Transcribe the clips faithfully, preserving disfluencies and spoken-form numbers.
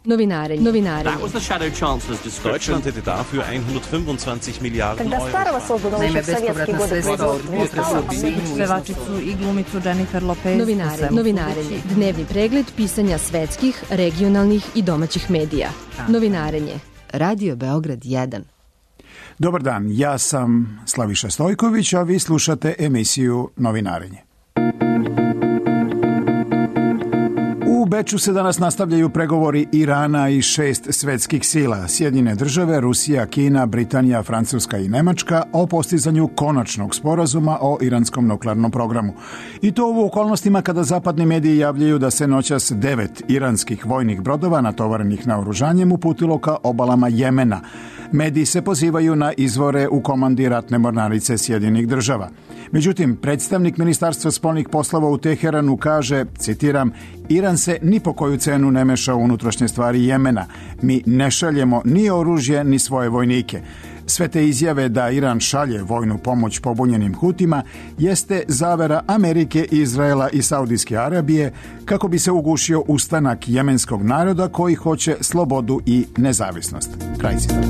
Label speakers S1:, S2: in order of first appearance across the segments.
S1: Novinarenje. Novinarenje.
S2: That was the Shadow Chancellor's description.
S3: Deutschland hätte dafür hundertfünfundzwanzig Miliarden Euro.
S4: Naime, bespovratna sredstva od
S5: pevačicu i glumicu Jennifer Lopez.
S1: Novinarenje. Novinarenje. Dnevni pregled pisanja svetskih, regionalnih i domaćih medija. Novinarenje. Radio Beograd jedan.
S6: Dobar dan, ja sam Slaviša Stojković, a vi slušate emisiju Novinarenje. U Beču se danas nastavljaju pregovori Irana i šest svetskih sila, Sjedinjene države, Rusija, Kina, Britanija, Francuska i Nemačka, o postizanju konačnog sporazuma o iranskom nuklearnom programu. I to u okolnostima kada zapadni mediji javljaju da se noćas devet iranskih vojnih brodova natovarenih naoružanjem uputilo ka obalama Jemena. Mediji se pozivaju na izvore u komandi ratne mornarice Sjedinjenih država. Međutim, predstavnik Ministarstva spoljnih poslova u Teheranu kaže, citiram, Iran se ni po koju cenu ne meša u unutrašnje stvari Jemena. Mi ne šaljemo ni oružje, ni svoje vojnike. Sve te izjave da Iran šalje vojnu pomoć pobunjenim Hutima jeste zavera Amerike, Izraela i Saudijske Arabije kako bi se ugušio ustanak jemenskog naroda koji hoće slobodu i nezavisnost. Kraj citata.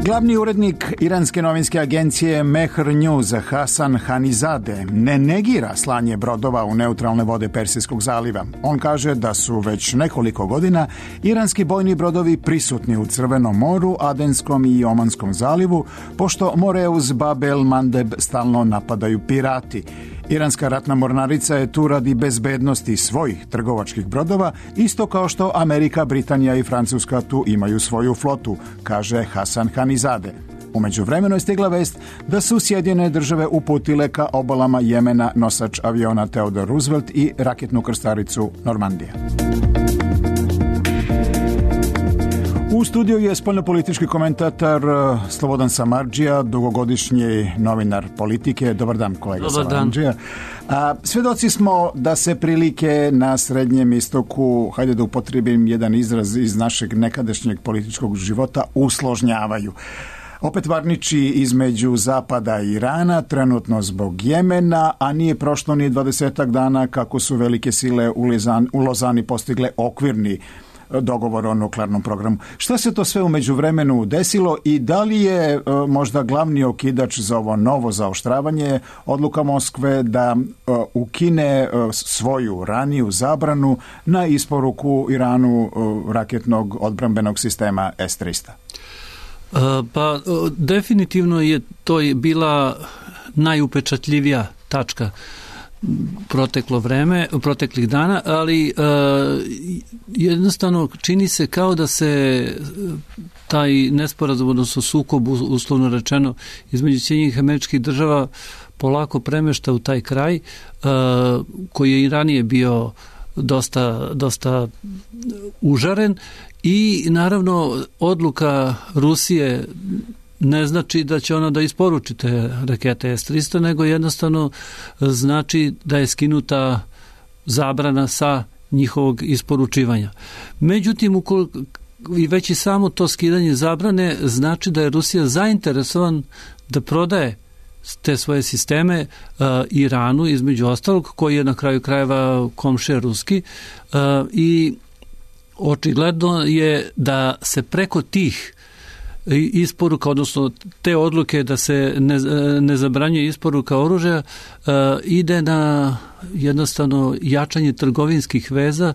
S6: Glavni urednik iranske novinske agencije Mehr News Hasan Hanizadeh ne negira slanje brodova u neutralne vode Persijskog zaliva. On kaže da su već nekoliko godina iranski bojni brodovi prisutni u Crvenom moru, Adenskom i Omanskom zalivu, pošto more uz Bab el Mandeb stalno napadaju pirati. Iranska ratna mornarica je tu radi bezbednosti svojih trgovačkih brodova, isto kao što Amerika, Britanija i Francuska tu imaju svoju flotu, kaže Hasan Hanizadeh. U međuvremenu je stigla vest da su Sjedinjene države uputile ka obalama Jemena nosač aviona Theodore Roosevelt i raketnu krstaricu Normandija. U studiju je spoljnopolitički komentator Slobodan Samardžija, dugogodišnji novinar politike. Dobar dan, kolega Samardžija. Svedoci smo da se prilike na Srednjem istoku, hajde da upotrijebim jedan izraz iz našeg nekadašnjeg političkog života, usložnjavaju. Opet varniči između Zapada i Irana, trenutno zbog Jemena, a nije prošlo ni dvadesetak dana kako su velike sile u Lozani postigle okvirni dogovor o nuklearnom programu. Šta se to sve u međuvremenu desilo i da li je e, možda glavni okidač za ovo novo zaoštravanje odluka Moskve da e, ukine e, svoju raniju zabranu na isporuku Iranu e, raketnog odbrambenog sistema es trista?
S7: E, pa definitivno je to bila najupečatljivija tačka proteklo vreme, proteklih dana, ali e, jednostavno čini se kao da se taj nesporazum, odnosno sukob, uslovno rečeno, između Sjedinjenih Američkih Država polako premešta u taj kraj, e, koji je i ranije bio dosta, dosta užaren i naravno odluka Rusije ne znači da će ona da isporuči te rakete es trista, nego jednostavno znači da je skinuta zabrana sa njihovog isporučivanja. Međutim, ukoliko, i već i samo to skidanje zabrane znači da je Rusija zainteresovan da prodaje te svoje sisteme uh, Iranu, između ostalog, koji je na kraju krajeva komšija ruski, uh, i očigledno je da se preko tih isporuka, odnosno te odluke da se ne, ne zabranjuje isporuka oružja, uh, ide na jednostavno jačanje trgovinskih veza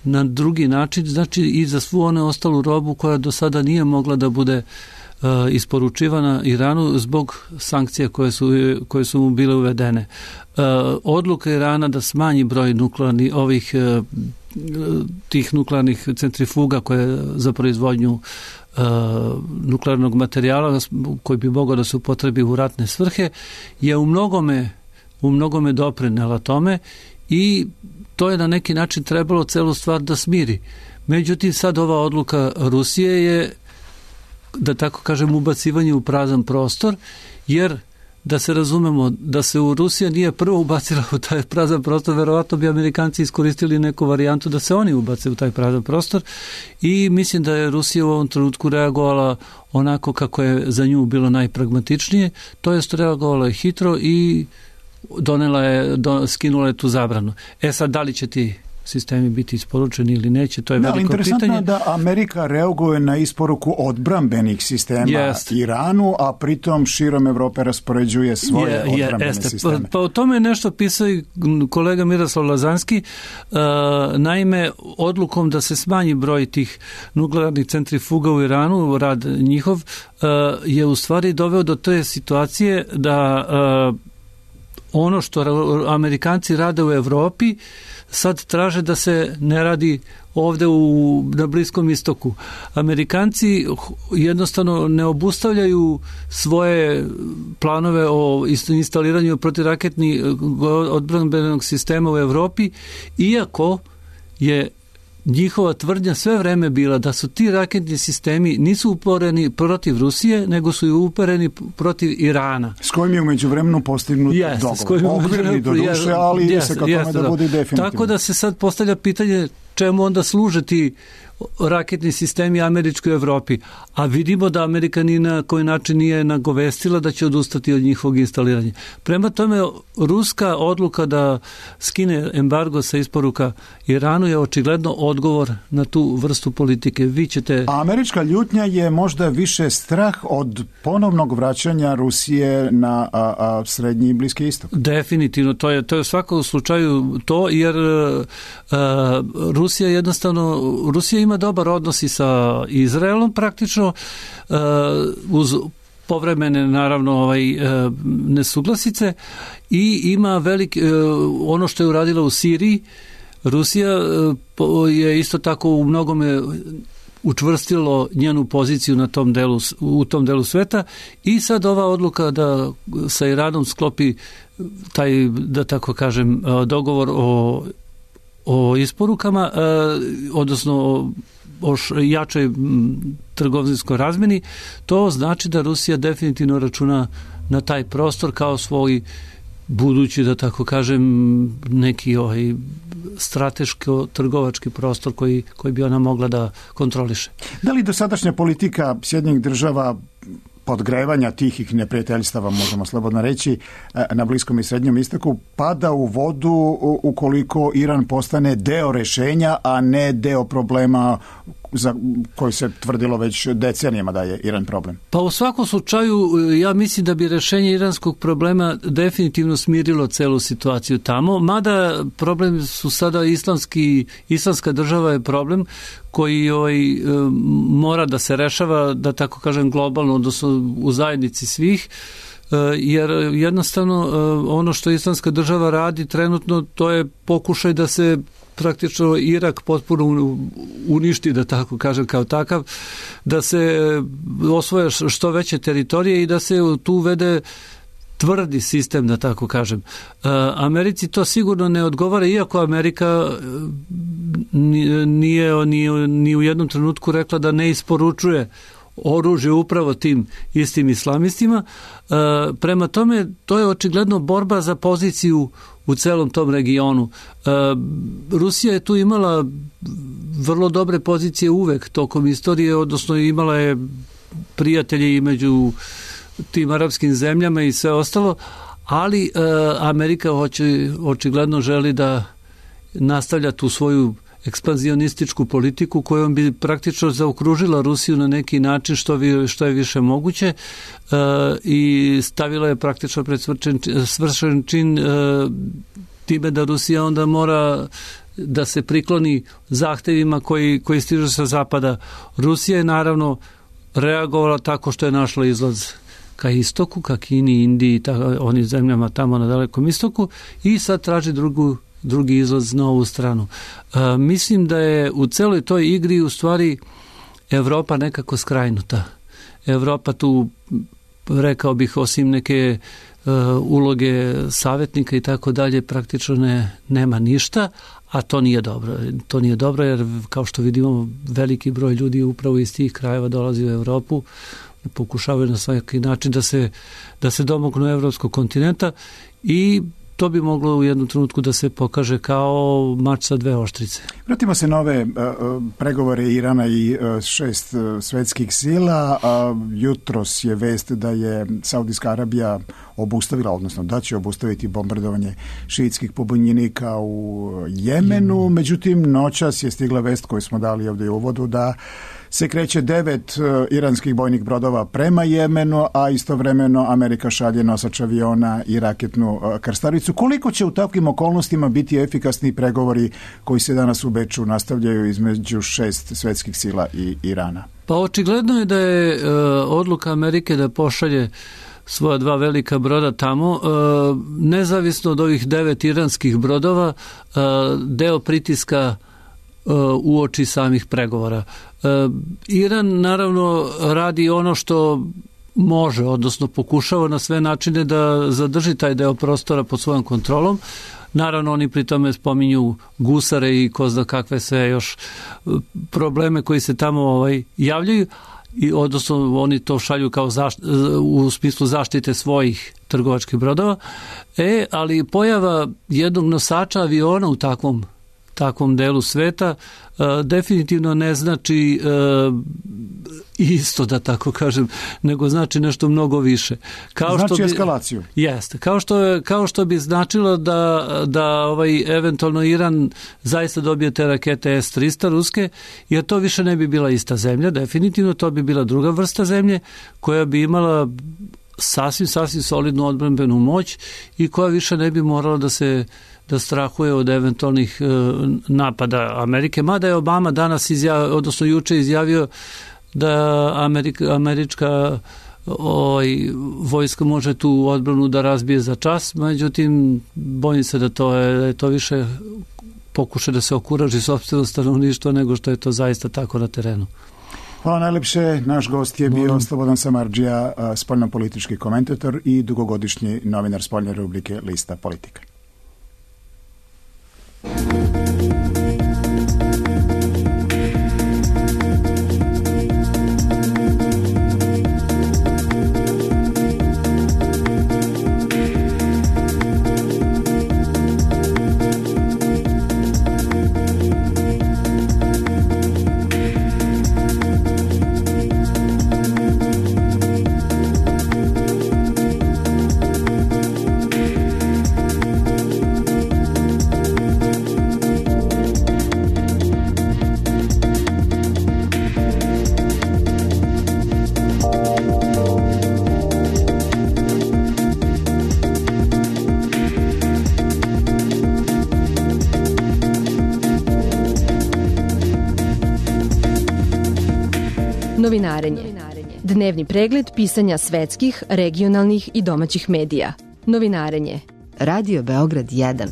S7: na drugi način, znači i za svu onu ostalu robu koja do sada nije mogla da bude uh, isporučivana Iranu zbog sankcija koje su, koje su mu bile uvedene. Uh, odluka Irana da smanji broj nuklearnih ovih uh, tih nuklearnih centrifuga koje za proizvodnju Uh, nuklearnog materijala koji bi mogao da se upotrebi u ratne svrhe je u mnogome, u mnogome doprinela tome i to je na neki način trebalo celu stvar da smiri. Međutim, sad ova odluka Rusije je, da tako kažem, ubacivanje u prazan prostor, jer da se razumemo, da se u Rusija nije prvo ubacila u taj prazan prostor, verovatno bi Amerikanci iskoristili neku varijantu da se oni ubace u taj prazan prostor i mislim da je Rusija u ovom trenutku reagovala onako kako je za nju bilo najpragmatičnije, to jest reagovala je hitro i donela je, do, skinula je tu zabranu. E sad, da li će ti sistemi biti isporučeni ili neće, to je da, veliko pitanje.
S6: Interesantno je da Amerika reaguje na isporuku odbrambenih sistema yes. Iranu, a pritom širom Evrope raspoređuje svoje je, odbrambene je, sisteme.
S7: Pa, pa o tome je nešto pisao i kolega Miroslav Lazanski. Uh, naime, odlukom da se smanji broj tih nuklearnih centrifuga u Iranu, rad njihov, uh, je u stvari doveo do te situacije da uh, ono što Amerikanci rade u Evropi sad traže da se ne radi ovde u, na Bliskom istoku. Amerikanci jednostavno ne obustavljaju svoje planove o instaliranju protivraketnih odbrambenog sistema u Evropi, iako je njihova tvrdnja sve vreme bila da su ti raketni sistemi nisu uporeni protiv Rusije, nego su i uporeni protiv Irana.
S6: S kojim je umeđu vremenu postignut
S7: yes,
S6: dogovor. Okvirni do duše, ali ide yes, se ka tome yes, da bude definitivno.
S7: Tako da se sad postavlja pitanje čemu onda služe ti raketni sistemi američkoj Evropi, a vidimo da Amerika ni na koji način nije nagovestila da će odustati od njihovog instaliranja. Prema tome, ruska odluka da skine embargo sa isporuka Iranu je očigledno odgovor na tu vrstu politike. Vi ćete...
S6: A američka ljutnja je možda više strah od ponovnog vraćanja Rusije na a, a, srednji i Bliski istok.
S7: Definitivno, to je, to je u svakom slučaju to, jer a, Rusija jednostavno, Rusija ima dobar odnos i sa Izraelom praktično, uh, uz povremene naravno ovaj, uh, nesuglasice, i ima velik, uh, ono što je uradila u Siriji, Rusija uh, je isto tako u mnogome učvrstilo njenu poziciju na tom delu, u tom delu sveta, i sad ova odluka da sa Iranom sklopi taj, da tako kažem, dogovor o o isporukama, eh, odnosno o, o jačoj trgovinskoj razmeni, to znači da Rusija definitivno računa na taj prostor kao svoj budući, da tako kažem, neki ovaj strateško-trgovački prostor koji, koji bi ona mogla da kontroliše.
S6: Da li dosadašnja politika Sjedinjenih država podgrevanja tihih neprijateljstava, možemo slobodno reći, na Bliskom i Srednjem istoku pada u vodu ukoliko Iran postane deo rešenja, a ne deo problema za koji se tvrdilo već decenijama da je Iran problem?
S7: Pa u svakom slučaju ja mislim da bi rešenje iranskog problema definitivno smirilo celu situaciju tamo, mada problem su sada islamski, islamska država je problem koji ovaj, mora da se rešava, da tako kažem, globalno, odnosno u zajednici svih, jer jednostavno ono što islamska država radi trenutno, to je pokušaj da se praktično Irak potpuno uništi, da tako kažem, kao takav, da se osvoje što veće teritorije i da se tu uvede tvrdi sistem, da tako kažem. Americi to sigurno ne odgovara, iako Amerika nije ni, ni u jednom trenutku rekla da ne isporučuje oružje upravo tim istim islamistima. Prema tome, to je očigledno borba za poziciju u celom tom regionu. Rusija je tu imala vrlo dobre pozicije uvek tokom istorije, odnosno imala je prijatelje i među tim arapskim zemljama i sve ostalo, ali Amerika hoće, očigledno želi da nastavlja tu svoju ekspanzionističku politiku kojom bi praktično zaokružila Rusiju na neki način što, vi, što je više moguće e, i stavila je praktično pred svršen, svršen čin e, time da Rusija onda mora da se prikloni zahtevima koji, koji stižu sa zapada. Rusija je naravno reagovala tako što je našla izlaz ka istoku, ka Kini, Indiji, ta, onim zemljama tamo na Dalekom istoku, i sad traži drugu drugi izlaz na ovu stranu. E, mislim da je u celoj toj igri u stvari Evropa nekako skrajnuta. Evropa tu, rekao bih, osim neke e, uloge savjetnika i tako dalje, praktično ne, nema ništa, a to nije dobro. To nije dobro jer, kao što vidimo, veliki broj ljudi upravo iz tih krajeva dolazi u Evropu, pokušavaju na svaki način da se, da se domognu evropskog kontinenta, i to bi moglo u jednom trenutku da se pokaže kao mač sa dve oštrice.
S6: Vratimo se na ove uh, pregovore Irana i uh, šest uh, svetskih sila. Uh, jutros je vest da je Saudijska Arabija obustavila, odnosno da će obustaviti bombardovanje šiitskih pobunjenika u Jemenu. Mm. Međutim, noćas je stigla vest koju smo dali ovdje u uvodu da se kreće devet uh, iranskih bojnih brodova prema Jemenu, a istovremeno Amerika šalje nosač aviona i raketnu uh, krstaricu. Koliko će u takvim okolnostima biti efikasni pregovori koji se danas u Beču nastavljaju između šest svetskih sila i Irana?
S7: Pa očigledno je da je uh, odluka Amerike da pošalje svoja dva velika broda tamo, uh, nezavisno od ovih devet iranskih brodova, uh, deo pritiska u oči samih pregovora. Iran naravno radi ono što može, odnosno pokušava na sve načine da zadrži taj deo prostora pod svojom kontrolom. Naravno, oni pri tome spominju gusare i ko zna kakve sve još probleme koji se tamo ovaj, javljaju, i odnosno oni to šalju kao zašt, u smislu zaštite svojih trgovačkih brodova. E, ali pojava jednog nosača aviona u takvom takvom delu sveta uh, definitivno ne znači uh, isto, da tako kažem, nego znači nešto mnogo više. Kao
S6: znači
S7: što bi,
S6: eskalaciju.
S7: Jeste. Kao što, je, kao što bi značilo da, da ovaj, eventualno Iran zaista dobije te rakete es trista ruske, jer to više ne bi bila ista zemlja, definitivno to bi bila druga vrsta zemlje koja bi imala sasvim, sasvim solidnu odbrambenu moć i koja više ne bi morala da se da strahuje od eventualnih e, napada Amerike. Mada je Obama danas izjavio, odnosno juče izjavio da Amerika, američka oj, vojska može tu odbranu da razbije za čas, međutim bojim se da to je, da je to više pokuša da se okuraži sopstveno stanovništvo nego što je to zaista tako na terenu.
S6: Hvala najlepše. Naš gost je bio Slobodan Samardžija, spoljnopolitički komentator i dugogodišnji novinar spoljne rubrike Lista Politika.
S1: Novinarenje. Dnevni pregled pisanja svetskih, regionalnih i domaćih medija. Novinarenje. Radio Beograd jedan.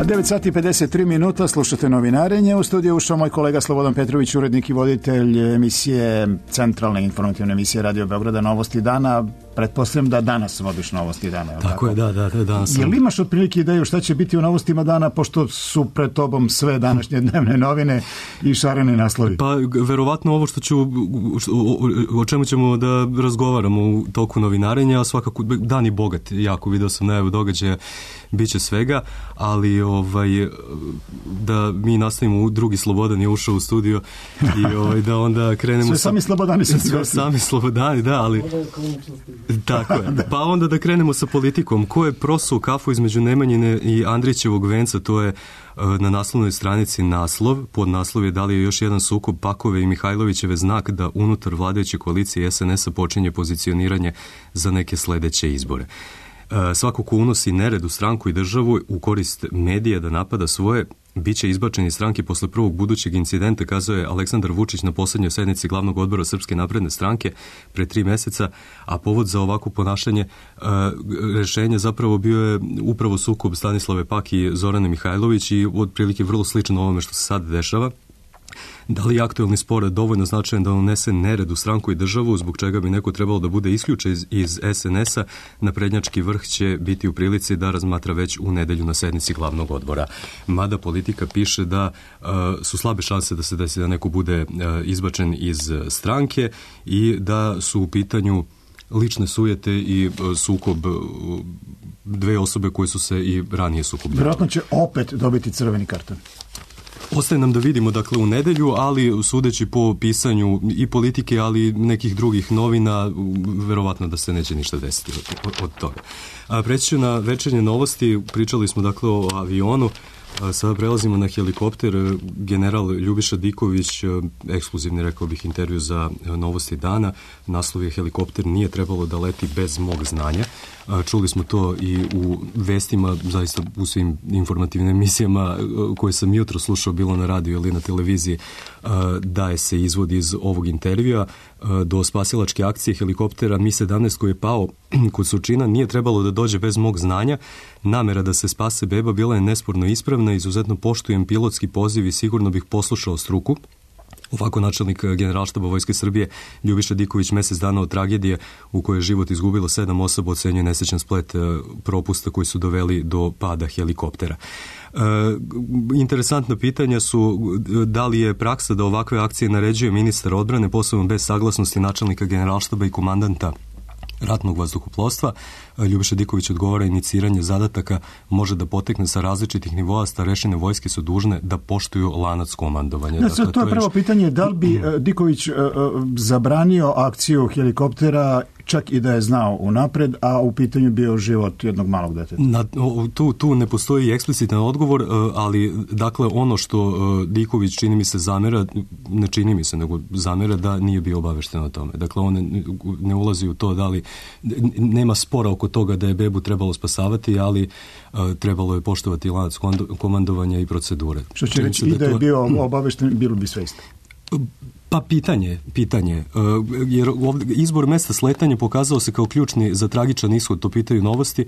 S6: devet sati i pedeset tri minuta, slušate Novinarenje. U studiju ušao moj kolega Slobodan Petrović, urednik i voditelj emisije, centralne informativne emisije Radio Beograda Novosti dana. Pretpostavljam da danas vodiš Novosti dana.
S2: Tako, tako je, da, da, da, danas sam.
S6: Jel imaš otprilike ideju šta će biti u Novostima dana, pošto su pred tobom sve današnje dnevne novine i šareni naslovi?
S2: Pa, verovatno ovo što ću, o, o čemu ćemo da razgovaramo u toku Novinarenja, a svakako dan je bogat, jako video sam najavu događaja, bit će svega, ali ovaj, da mi nastavimo, u drugi Slobodan je ušao u studio i ovaj, da onda krenemo...
S6: Sve sa... sami Slobodani su
S2: sve sami Slobodani, da, ali... Tako je. Pa onda da krenemo sa politikom. Ko je prosuo kafu između Nemanjine i Andrićevog venca, to je na naslovnoj stranici naslov, pod naslov je da li je još jedan sukob Pakove i Mihajlovićeve znak da unutar vladajuće koalicije es en es a počinje pozicioniranje za neke sledeće izbore. Svako ko unosi nered u stranku i državu u korist medija da napada svoje, bit će izbačen iz stranke posle prvog budućeg incidenta, kazao je Aleksandar Vučić na poslednjoj sednici glavnog odbora Srpske napredne stranke pre tri meseca, a povod za ovako ponašanje uh, rešenja zapravo bio je upravo sukob Stanislave Pak i Zorane Mihajlović i otprilike vrlo slično ovome što se sad dešava. Da li je aktuelni spor dovoljno značajan da unese nered u stranku i državu, zbog čega bi neko trebalo da bude isključen iz, iz es en es a, naprednjački vrh će biti u prilici da razmatra već u nedelju na sednici glavnog odbora. Mada politika piše da uh, su slabe šanse da se desi da neko bude uh, izbačen iz stranke i da su u pitanju lične sujete i uh, sukob uh, dve osobe koje su se i ranije sukobljavale.
S6: Vjerojatno će opet dobiti crveni karton.
S2: Ostaje nam da vidimo, dakle, u nedelju, ali sudeći po pisanju i politike, ali nekih drugih novina, verovatno da se neće ništa desiti od, od toga. A preći ću na večernje novosti. Pričali smo, dakle, o avionu. Sada prelazimo na helikopter. General Ljubiša Diković, ekskluzivni, rekao bih, intervju za Novosti dana. Naslov je helikopter nije trebalo da leti bez mog znanja. Čuli smo to i u vestima, zaista u svim informativnim emisijama koje sam jutro slušao, bilo na radiju ili na televiziji, daje se izvod iz ovog intervjua. Do spasilačke akcije helikoptera Mi sedamnaest koji je pao kod Surčina nije trebalo da dođe bez mog znanja. Namera da se spase beba bila je nesporno ispravna, izuzetno poštujem pilotski poziv i sigurno bih poslušao struku. Ovako načelnik Generalštaba Vojske Srbije Ljubiša Diković mesec dana od tragedije u kojoj je život izgubilo sedam osoba ocenjuje nesrećan splet propusta koji su doveli do pada helikoptera. E, interesantna pitanja su da li je praksa da ovakve akcije naređuje ministar odbrane, posebno bez saglasnosti načelnika Generalštaba i komandanta ratnog vazduhoplovstva. Ljubiša Diković odgovara, iniciranje zadataka može da potekne sa različitih nivoa, starešine vojske su dužne da poštuju lanac komandovanja.
S6: Ne, dakle, to je prvo pitanje, da li bi Diković uh, zabranio akciju helikoptera čak i da je znao unapred, a u pitanju bio život jednog malog deteta?
S2: Na, tu, tu ne postoji eksplicitan odgovor, ali dakle ono što Diković čini mi se zamera, ne čini mi se, nego zamera da nije bio obavešten o tome. Dakle, on ne, ne ulazi u to da li, nema spora oko toga da je bebu trebalo spasavati, ali uh, trebalo je poštovati lanac komandovanja i procedure.
S6: Što će reći, i da je bio obavešten, bilo bi sve isto.
S2: Pa pitanje, pitanje, jer izbor mesta sletanja pokazao se kao ključni za tragičan ishod, to pitaju Novosti,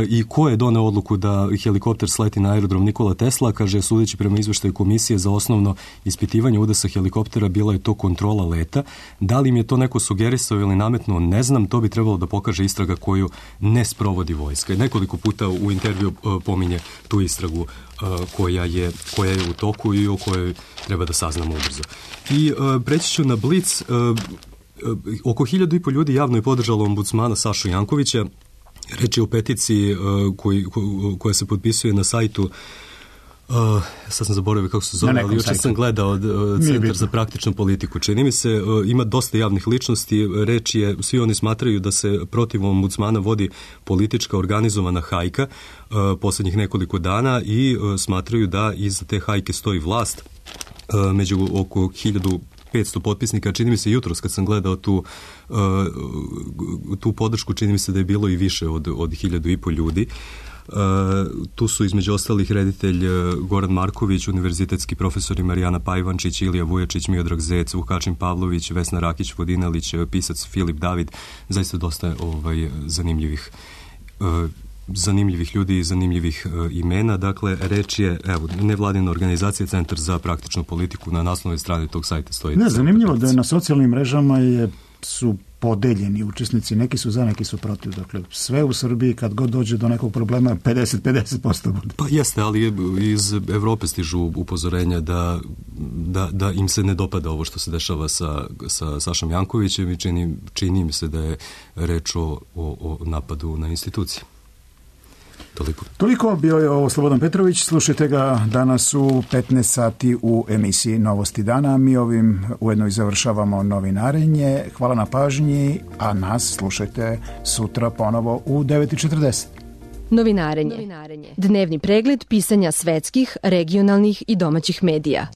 S2: i ko je doneo odluku da helikopter sleti na aerodrom Nikola Tesla, kaže, sudeći prema izveštaju komisije za osnovno ispitivanje udesa helikoptera, bila je to kontrola leta. Da li im je to neko sugerisao ili nametnuo, ne znam, to bi trebalo da pokaže istraga koju ne sprovodi vojska. Nekoliko puta u intervju pominje tu istragu koja je, koja je u toku i o kojoj treba da saznamo ubrzo. I preći ću na Blic. Oko hiljadu i po ljudi javno je podržalo ombudsmana Sašu Jankovića. Reč je o peticiji uh, koji, ko, koja se potpisuje na sajtu, uh, sad sam zaboravio kako se zove, ali jučer sam gledao uh, Centar za praktičnu politiku. Čini mi se, uh, ima dosta javnih ličnosti, reč je, svi oni smatraju da se protiv ombudsmana vodi politička organizovana hajka uh, posljednjih nekoliko dana i uh, smatraju da iza te hajke stoji vlast. Uh, među oko hiljadu petsto potpisnika, čini mi se jutros kad sam gledao tu, uh, tu podršku, čini mi se da je bilo i više od, od hiljadu i po ljudi. Uh, tu su između ostalih reditelj Goran Marković, univerzitetski profesori Marijana Pajvančić, Ilija Vujačić, Miodrag Zec, Vukačin Pavlović, Vesna Rakić-Vodinelić, pisac Filip David, zaista dosta ovaj, zanimljivih uh, zanimljivih ljudi i zanimljivih uh, imena. Dakle, reč je, evo, nevladina organizacija Centar za praktičnu politiku, na naslovnoj strani tog sajta stoji.
S6: Ne, zanimljivo da je na socijalnim mrežama je, su podeljeni učesnici, neki su za, neki su protiv. Dakle, sve u Srbiji kad god dođe do nekog problema pedeset pedeset posto bude.
S2: Pa jeste, ali iz Evrope stižu upozorenja da, da, da im se ne dopada ovo što se dešava sa, sa Sašom Jankovićem i čini, čini mi se da je reč o, o, o napadu na institucije. Toliko.
S6: Toliko bio je ovo Slobodan Petrović. Slušajte ga danas u petnaest sati u emisiji Novosti dana. Mi ovim ujedno i završavamo novinarenje. Hvala na pažnji, a nas slušajte sutra ponovo u devet i četrdeset.
S1: Novinarenje. Dnevni pregled pisanja svetskih, regionalnih i domaćih medija.